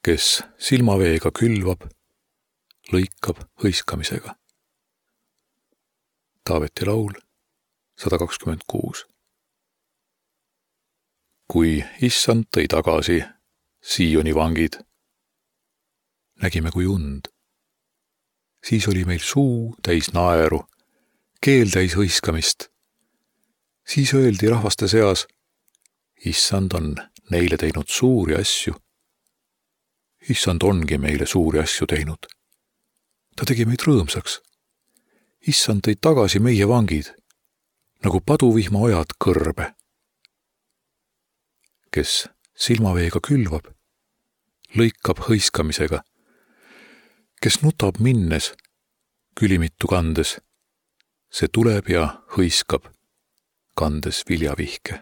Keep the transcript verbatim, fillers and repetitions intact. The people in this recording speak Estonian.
kes silmaveega külvab, lõikab hõiskamisega. Taaveti laul sada kakskümmend kuus. Kui issand tõi tagasi Sioni vangid, nägime kui und. Siis oli meil suu täis naeru, keel täis hõiskamist. Siis öeldi rahvaste seas, issand on neile teinud suuri asju. Issand ongi meile suuri asju teinud. Ta tegi meid rõõmsaks. Issand tõi tagasi meie vangid, nagu paduvihma ojad kõrbe. Kes silmaveega külvab, lõikab hõiskamisega. Kes nutab minnes, külimitu kandes, see tuleb ja hõiskab, kandes viljavihke.